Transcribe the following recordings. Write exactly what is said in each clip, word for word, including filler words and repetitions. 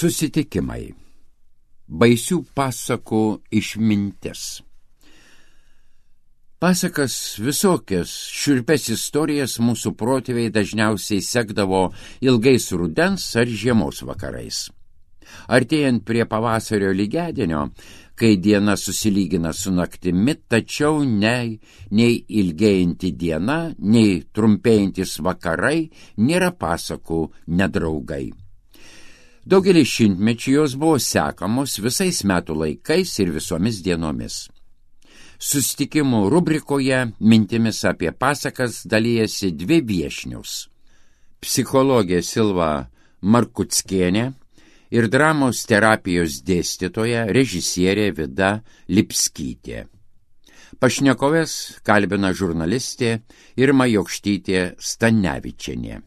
Susitikimai. Baisių pasakų išmintis. Pasakas visokias šiurpes istorijas mūsų protėviai dažniausiai sekdavo ilgais rudens ar žiemos vakarais. Artėjant prie pavasario lygiadienio, kai diena susilygina su naktimi, tačiau nei, nei ilgėjanti diena, nei trumpėjantis vakarai nėra pasakų nedraugai. Daugelį šimtmečių jos buvo sekamos visais metų laikais ir visomis dienomis. Susitikimų rubrikoje mintimis apie pasakas dalijasi dvi viešnius – psichologė Silva Markuckienė ir dramos terapijos dėstytoja režisierė Vida Lipskytė. Pašnekovės kalbina žurnalistė Irma Jokštytė Stanevičienė.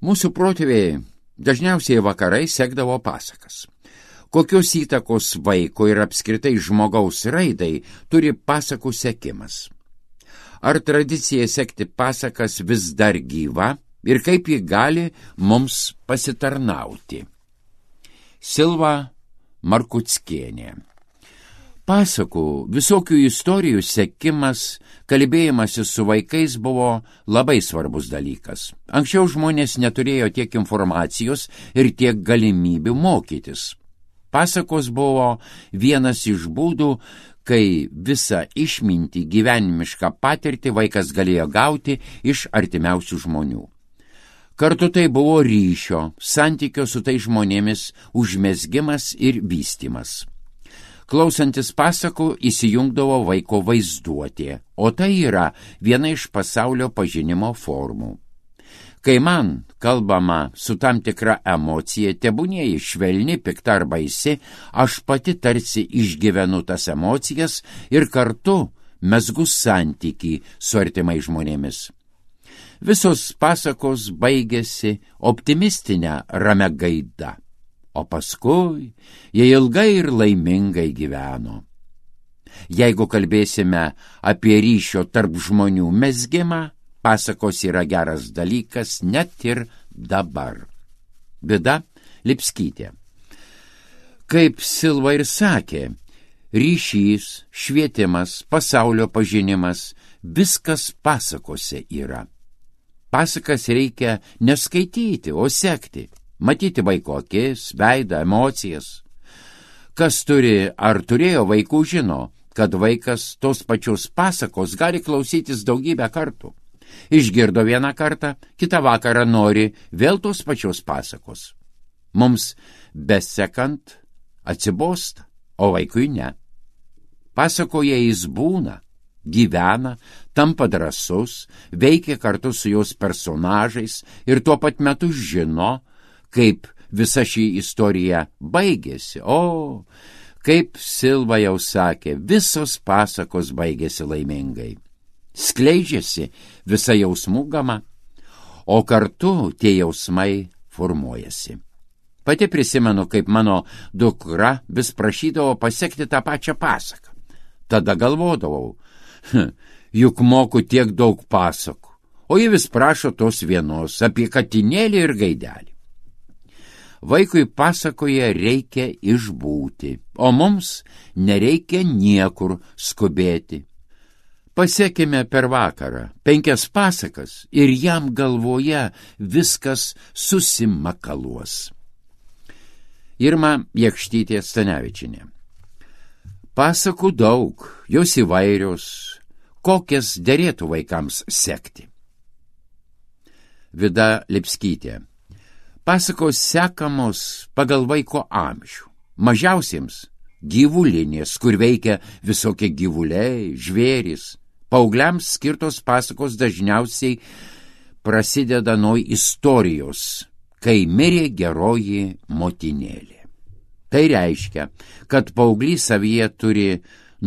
Mūsų protėviai dažniausiai vakarai sekdavo pasakas. Kokios įtakos vaiko ir apskritai žmogaus raidai turi pasakų sekimas? Ar tradicija sekti pasakas vis dar gyva ir kaip ji gali mums pasitarnauti? Silva Markuckienė. Pasakų, visokių istorijų sekimas, kalbėjimasis su vaikais buvo labai svarbus dalykas. Anksčiau žmonės neturėjo tiek informacijos ir tiek galimybių mokytis. Pasakos buvo vienas iš būdų, kai visą išmintį, gyvenimišką patirtį vaikas galėjo gauti iš artimiausių žmonių. Kartu tai buvo ryšio, santykio su tai žmonėmis užmezgimas ir vystymas. Klausantis pasakų įsijungdavo vaiko vaizduotė, o tai yra viena iš pasaulio pažinimo formų. Kai man kalbama su tam tikra emocija, tebūnie švelni, pikta ar baisi, aš pati tarsi išgyvenu tas emocijas ir kartu mezgu santykį su artimai žmonėmis. Visos pasakos baigėsi optimistinę ramia gaida. O paskui jie ilgai ir laimingai gyveno. Jeigu kalbėsime apie ryšio tarp žmonių mezgimą, pasakos yra geras dalykas net ir dabar. Vida Lipskytė. Kaip Silva ir sakė, ryšys, švietimas, pasaulio pažinimas, viskas pasakose yra. Pasakas reikia neskaityti, o sekti. Matyti vaiko akis, veidą, emocijas. Kas turi ar turėjo vaikų žino, kad vaikas tos pačios pasakos gali klausytis daugybę kartų. Išgirdo vieną kartą, kitą vakarą nori vėl tos pačios pasakos. Mums besekant atsibosta, o vaikui ne. Pasakoje jis būna, gyvena, tampa drąsus, veikia kartu su jos personažais ir tuo pat metu žino, kaip visa ši istorija baigėsi. O, kaip Silva jau sakė, visos pasakos baigėsi laimingai. Skleidžiasi visa jausmų gama, o kartu tie jausmai formuojasi. Pati prisimenu, kaip mano dukra vis prašydavo pasekti tą pačią pasaką. Tada galvodavau, juk moku tiek daug pasakų, o ji vis prašo tos vienos apie katinėlį ir gaidelį. Vaikui pasakoje reikia išbūti, o mums nereikia niekur skubėti. Pasekime per vakarą penkias pasakas ir jam galvoje viskas susimakaluos. Irma Jokštytė Stanevičienė. Pasakų daug, jos įvairios, kokias derėtų vaikams sekti. Vida Lipskytė. Pasakos sekamos pagal vaiko amžių. Mažiausiems gyvulinės, kur veikia visokie gyvuliai, žvėrys. Paaugliams skirtos pasakos dažniausiai prasideda nuo istorijos, kai mirė geroji motinėlė. Tai reiškia, kad paauglys savyje turi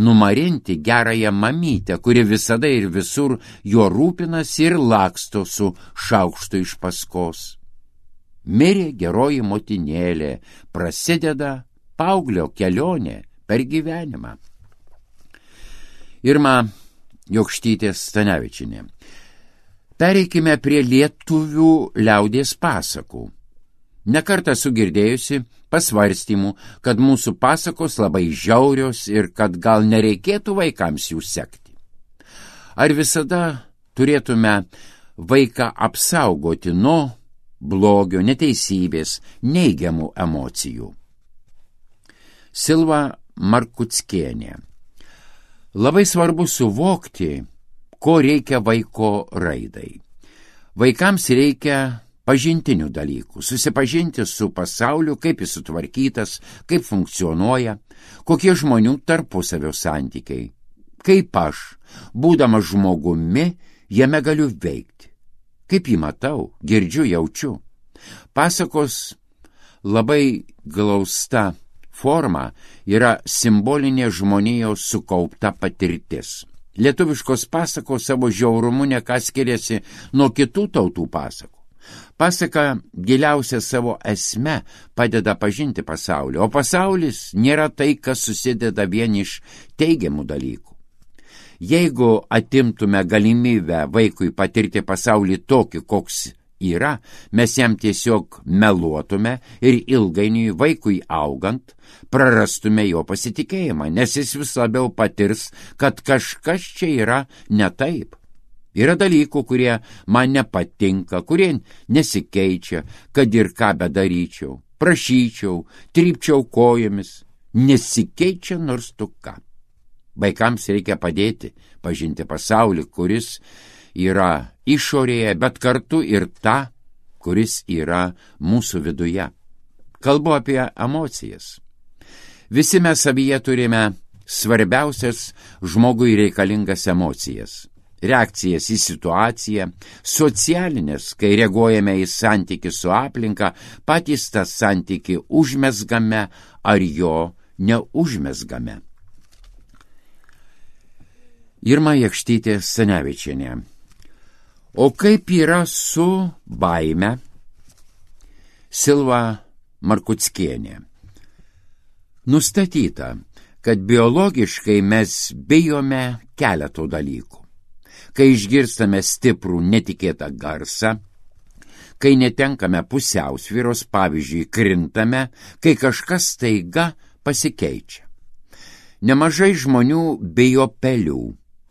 numarinti gerąją mamytę, kuri visada ir visur juo rūpinasi ir laksto su šaukštu iš paskos. Mirė geroji motinėlė, prasideda paauglio kelionė per gyvenimą. Irma Jokštytė Stanevičienė. Pereikime prie lietuvių liaudies pasakų. Nekartą sugirdėjusi pasvarstymų, kad mūsų pasakos labai žiaurios ir kad gal nereikėtų vaikams jų sekti. Ar visada turėtume vaiką apsaugoti nuo blogio, neteisybės, neigiamų emocijų? Silva Markuckienė. Labai svarbu suvokti, ko reikia vaiko raidai. Vaikams reikia pažintinių dalykų, susipažinti su pasauliu, kaip jis sutvarkytas, kaip funkcionuoja, kokie žmonių tarpusavio santykiai, kaip aš, būdamas žmogumi, jame galiu veikti, kaip jį matau, girdžiu, jaučiu. Pasakos labai glausta forma yra simbolinė žmonijos sukaupta patirtis. Lietuviškos pasakos savo žiaurumu neką skiriasi nuo kitų tautų pasakų. Pasaka giliausia savo esme padeda pažinti pasaulį, o pasaulis nėra tai, kas susideda vien iš teigiamų dalykų. Jeigu atimtume galimybę vaikui patirti pasaulį tokį, koks yra, mes jam tiesiog meluotume ir ilgainiui vaikui augant prarastume jo pasitikėjimą, nes jis vis labiau patirs, kad kažkas čia yra ne taip. Yra dalykų, kurie man nepatinka, kurie nesikeičia, kad ir ką bedaryčiau, prašyčiau, trypčiau kojomis, nesikeičia nors tu ką. Vaikams reikia padėti pažinti pasaulį, kuris yra išorėje, bet kartu ir tą, kuris yra mūsų viduje. Kalbu apie emocijas. Visi mes savyje turime svarbiausias žmogui reikalingas emocijas. Reakcijas į situaciją, socialinės, kai reaguojame į santykį su aplinka, patys tą santykį užmezgame ar jo neužmezgame. Irma Jakštytė Stanevičienė. O kaip yra su baime? Silva Markuckienė. Nustatyta, kad biologiškai mes bijome keletų dalykų. Kai išgirstame stiprų netikėtą garsą, kai netenkame pusiausvyros, pavyzdžiui, krintame, kai kažkas staiga pasikeičia. Nemažai žmonių bijo pelių,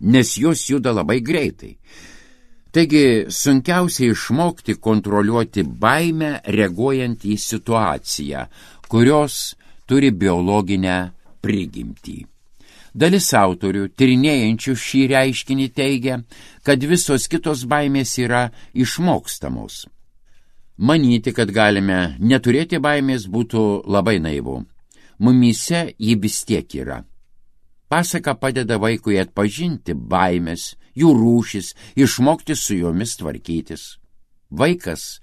nes jos juda labai greitai. Taigi sunkiausia išmokti kontroliuoti baimę, reaguojant į situaciją, kurios turi biologinę prigimtį. Dalis autorių, tyrinėjančių šį reiškinį, teigia, kad visos kitos baimės yra išmokstamos. Manyti, kad galime neturėti baimės, būtų labai naivu. Mumyse ji vis tiek yra. Pasaka padeda vaikui atpažinti baimės, jų rūšis, išmokti su jomis tvarkytis. Vaikas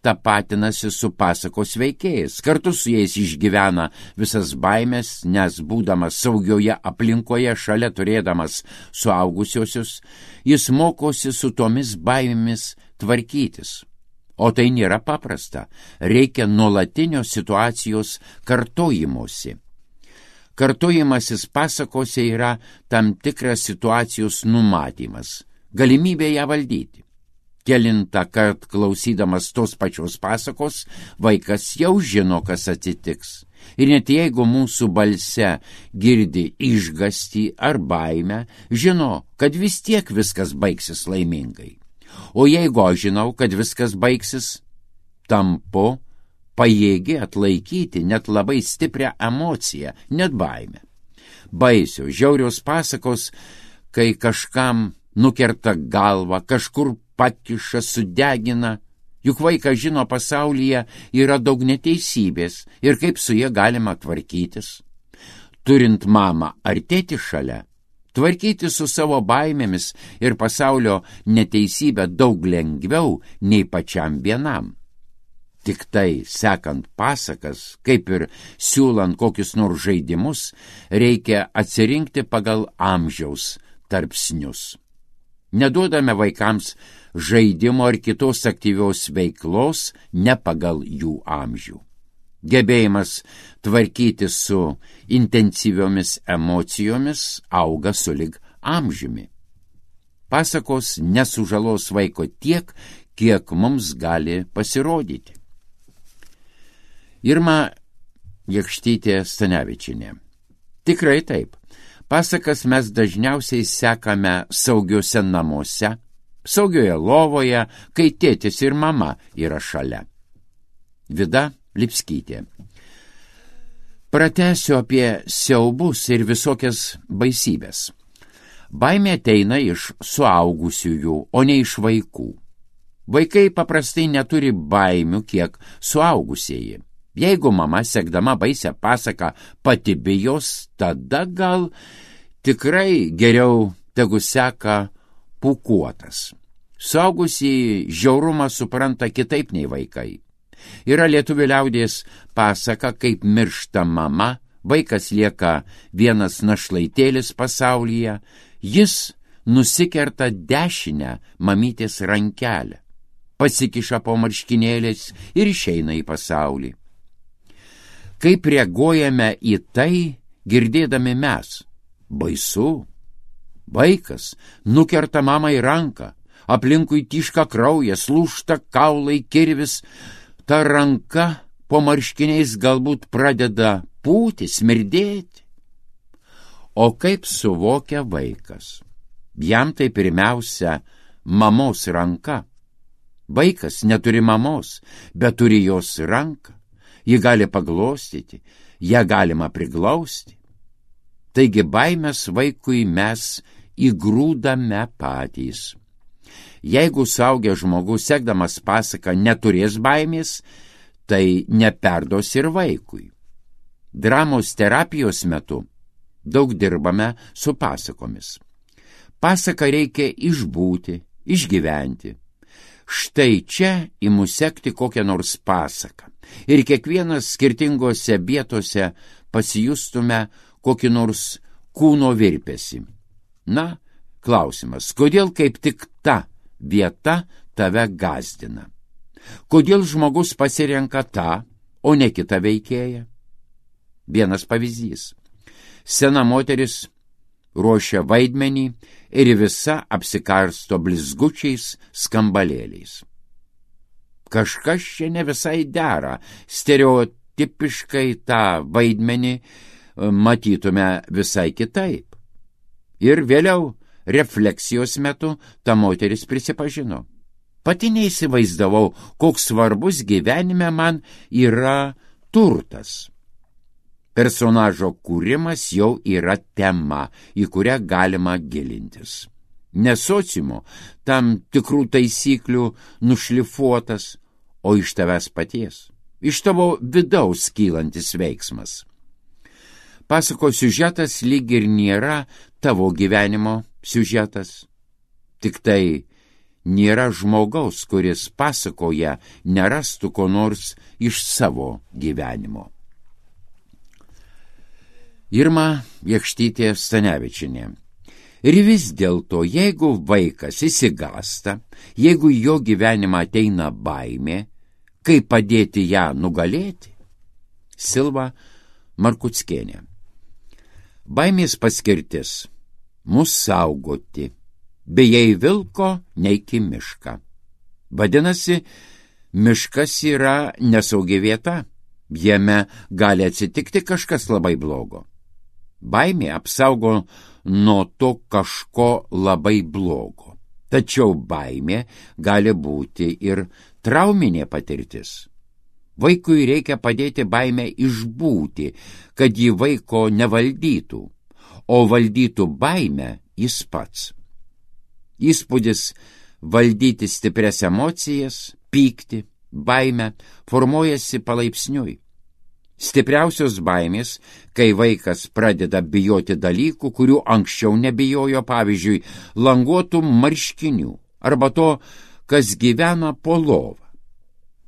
tapatinasi su pasakos veikėjais, kartu su jais išgyvena visas baimės, nes būdamas saugioje aplinkoje, šalia turėdamas suaugusiosius, jis mokosi su tomis baimėmis tvarkytis. O tai nėra paprasta, reikia nuolatinio situacijos kartojimosi. Kartojimasis pasakose yra tam tikras situacijos numatymas, galimybė ją valdyti. Kelintą kart klausydamas tos pačios pasakos, vaikas jau žino, kas atsitiks. Ir net jeigu mūsų balse girdi išgąstį ar baimę, žino, kad vis tiek viskas baigsis laimingai. O jeigu aš žinau, kad viskas baigsis, tampu pajėgi atlaikyti net labai stiprią emociją, net baimę. Baisios, žiaurios pasakos, kai kažkam nukerta galvą, kažkur pakiša, sudegina, juk vaikas žino, pasaulyje yra daug neteisybės ir kaip su jie galima tvarkytis. Turint mamą ar tėtį šalia, tvarkyti su savo baimėmis ir pasaulio neteisybę daug lengviau nei pačiam vienam. Tik tai, sekant pasakas, kaip ir siūlant kokius nors žaidimus, reikia atsirinkti pagal amžiaus tarpsnius. Neduodame vaikams žaidimo ar kitos aktyvios veiklos ne pagal jų amžių. Gebėjimas tvarkyti su intensyviomis emocijomis auga sulig amžiumi. Pasakos nesužalos vaiko tiek, kiek mums gali pasirodyti. Irma Jakštytė Stanevičienė. Tikrai taip. Pasakas mes dažniausiai sekame saugiuose namuose, saugioje lovoje, kai tėtis ir mama yra šalia. Vida Lipskytė. Pratęsiu apie siaubus ir visokias baisybės. Baimė ateina iš suaugusiųjų, o ne iš vaikų. Vaikai paprastai neturi baimių, kiek suaugusieji. Jeigu mama, sekdama baisią pasaką, pati bijos, tada gal tikrai geriau tegu seka pūkuotas. Suaugusieji žiaurumą supranta kitaip nei vaikai. Yra lietuvių liaudies pasaka, kaip miršta mama, vaikas lieka vienas našlaitėlis pasaulyje, jis nusikerta dešinę mamytės rankelę, pasikiša po marškinėliais ir išeina į pasaulį. Kaip reaguojame į tai, girdėdami mes? Baisu. Vaikas nukerta mamai ranką, aplinkui tyška kraujas, lūžta kaulai, kirvis, ta ranka po marškiniais galbūt pradeda pūti, smirdėti. O kaip suvokia vaikas? Jam tai pirmiausia mamos ranka. Vaikas neturi mamos, bet turi jos ranką. Ji gali paglostyti, ją galima priglausti. Taigi baimės vaikui mes įgrūdame patys. Jeigu suaugęs žmogus, sekdamas pasaką, neturės baimės, tai neperduos ir vaikui. Dramos terapijos metu daug dirbame su pasakomis. Pasaką reikia išbūti, išgyventi. Štai čia imu sekti kokią nors pasaką. Ir kiekvienas skirtingose vietose pasijustume kokį nors kūno virpesį. Na, klausimas, kodėl kaip tik ta vieta tave gazdina? Kodėl žmogus pasirenka tą, o ne kitą veikėją? Vienas pavyzdys. Sena moteris ruošia vaidmenį ir visa apsikarsto blizgučiais skambalėliais. Kažkas čia ne visai dera, stereotipiškai tą vaidmenį matytume visai kitaip. Ir vėliau refleksijos metu ta moteris prisipažino. Pati neįsivaizdavau, koks svarbus gyvenime man yra turtas. Personažo kūrimas jau yra tema, į kurią galima gilintis. Ne sociumo, tam tikrų taisyklių nušlifuotas, o iš tavęs paties, iš tavo vidaus kylantis veiksmas. Pasakos siužetas lyg ir nėra tavo gyvenimo siužetas, tik tai nėra žmogaus, kuris pasakoja nerastų ko nors iš savo gyvenimo. Irma Jakštytė Stanevičienė. Ir vis dėlto, jeigu vaikas įsigasta, jeigu jo gyvenimą ateina baimė, kaip padėti ją nugalėti? Silva Markuckienė. Baimės paskirtis – mus saugoti, bei vilko neiki mišką. Vadinasi, miškas yra nesaugi vieta, jame gali atsitikti kažkas labai blogo. Baimė apsaugo nuo to kažko labai blogo. Tačiau baimė gali būti ir trauminė patirtis. Vaikui reikia padėti baimę išbūti, kad jį vaiko nevaldytų, o valdytų baimę jis pats. Įspūdis valdyti stiprias emocijas, pykti, baimę formuojasi palaipsniui. Stipriausios baimės, kai vaikas pradeda bijoti dalykų, kurių anksčiau nebijojo, pavyzdžiui, languotų marškinių arba to, kas gyvena po lova.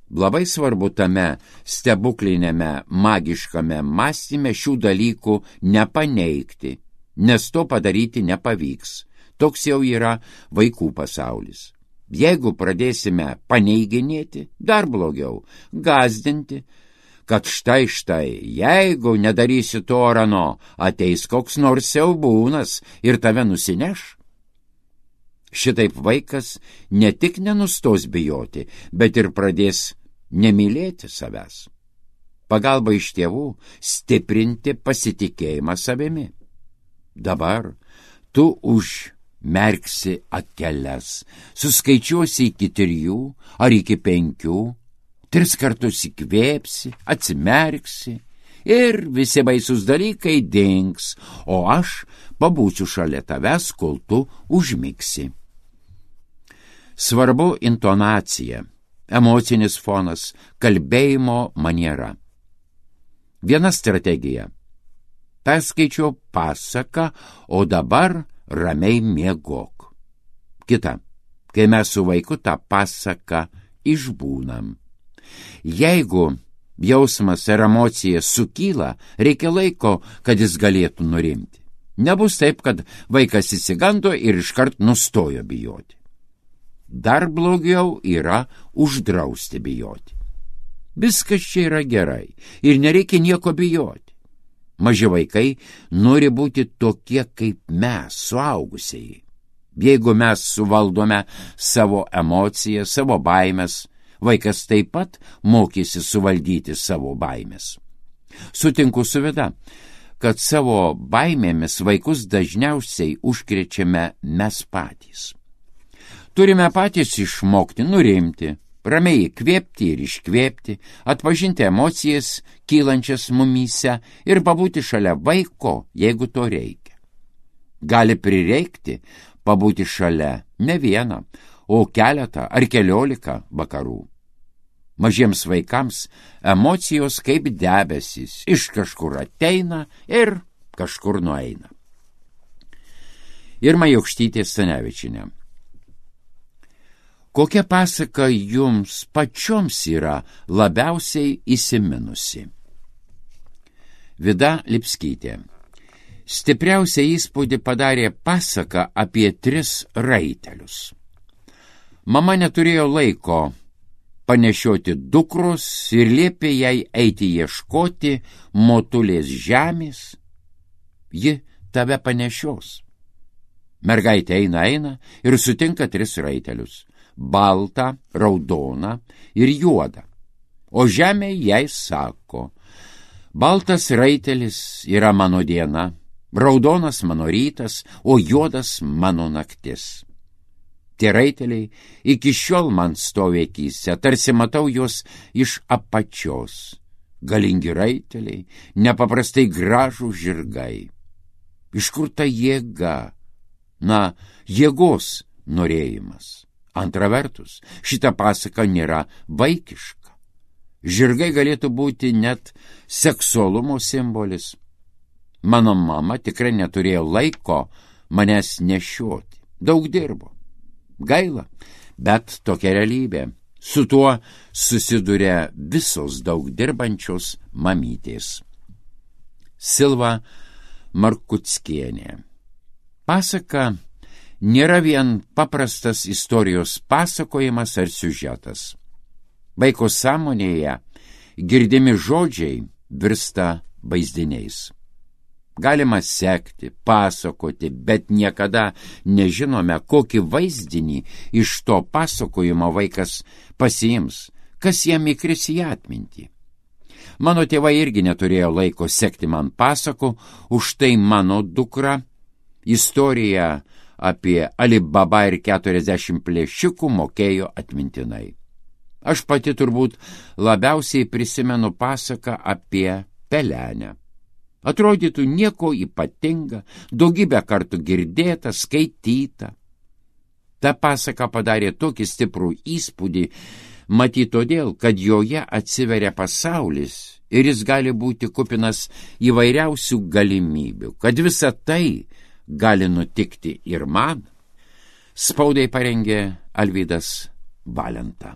Labai svarbu tame stebuklinėme magiškame mąstyme šių dalykų nepaneigti, nes to padaryti nepavyks. Toks jau yra vaikų pasaulis. Jeigu pradėsime paneiginėti, dar blogiau, gazdinti, kad štai štai, jeigu nedarysi to ar ano, ateis koks nors siaubūnas ir tave nusineš. Šitaip vaikas ne tik nenustos bijoti, bet ir pradės nemylėti savęs. pagalba iš tėvų stiprinti pasitikėjimą savimi. Dabar tu užmerksi akeles, suskaičiuosi iki trijų ar iki penkių, tris kartus įkvėpsi, atsimerksi ir visi baisus dalykai dings, o aš pabūsiu šalia tavęs, kol tu užmigsi. Svarbu intonacija, emocinis fonas, kalbėjimo maniera. Viena strategija. Perskaičiau pasaką, o dabar ramiai miegok. Kita. Kai mes su vaiku tą pasaką išbūnam. Jeigu jausmas ir emocija sukyla, reikia laiko, kad jis galėtų nurimti. Nebus taip, kad vaikas įsigando ir iškart nustojo bijoti. Dar blogiau yra uždrausti bijoti. Viskas čia yra gerai ir nereikia nieko bijoti. Maži vaikai nori būti tokie kaip mes, suaugusieji. Jeigu mes suvaldome savo emocijas, savo baimės, vaikas taip pat mokysi suvaldyti savo baimės. Sutinku su Vida, kad savo baimėmis vaikus dažniausiai užkrečiame mes patys. Turime patys išmokti nurimti, ramiai įkvėpti ir iškvėpti, atpažinti emocijas kylančias mumyse ir pabūti šalia vaiko, jeigu to reikia. Gali prireikti pabūti šalia ne vieną, o keletą ar keliolika vakarų. Mažiems vaikams emocijos kaip debesys, iš kažkur ateina ir kažkur nueina. Irma Jokštytė Stanevičienė. Kokia pasaka jums pačioms yra labiausiai įsiminusi? Vida Lipskytė. Stipriausią įspūdį padarė pasaka apie tris raitelius. Mama neturėjo laiko panešioti dukros ir liepė jai eiti ieškoti motulės žemės. Ji tave panešios. Mergaitė eina, eina ir sutinka tris raitelius. Baltą, raudoną ir juodą. O žemė jai sako, baltas raitelis yra mano diena, raudonas mano rytas, o juodas mano naktis. Tie raiteliai iki šiol man stovi akyse, tarsi matau juos iš apačios. Galingi raiteliai, nepaprastai gražų žirgai. Iš kur ta jėga? Na, jėgos norėjimas. Antra vertus, šita pasaka nėra vaikiška. Žirgai galėtų būti net seksualumo simbolis. Mano mama tikrai neturėjo laiko manęs nešioti. Daug dirbo. Gaila, bet tokia realybė. Su tuo susiduria visos daug dirbančios mamytės. Silva Markuckienė. Pasaka nėra vien paprastas istorijos pasakojimas ar siužetas. Vaiko sąmonėje girdimi žodžiai virsta vaizdiniais. Galima sekti, pasakoti, bet niekada nežinome, kokį vaizdinį iš to pasakojimo vaikas pasiims, kas jam įkris į atmintį. Mano tėvai irgi neturėjo laiko sekti man pasakų, už tai mano dukra istoriją apie Alibaba ir keturiasdešimt plėšikų mokėjo atmintinai. Aš pati turbūt labiausiai prisimenu pasaką apie pelenę. Atrodytų nieko ypatinga, daugybę kartų girdėta, skaityta. Ta pasaka padarė tokį stiprų įspūdį, matyt todėl, kad joje atsiveria pasaulis ir jis gali būti kupinas įvairiausių galimybių, kad visa tai gali nutikti ir man. Spaudai parengė Alvydas Valenta.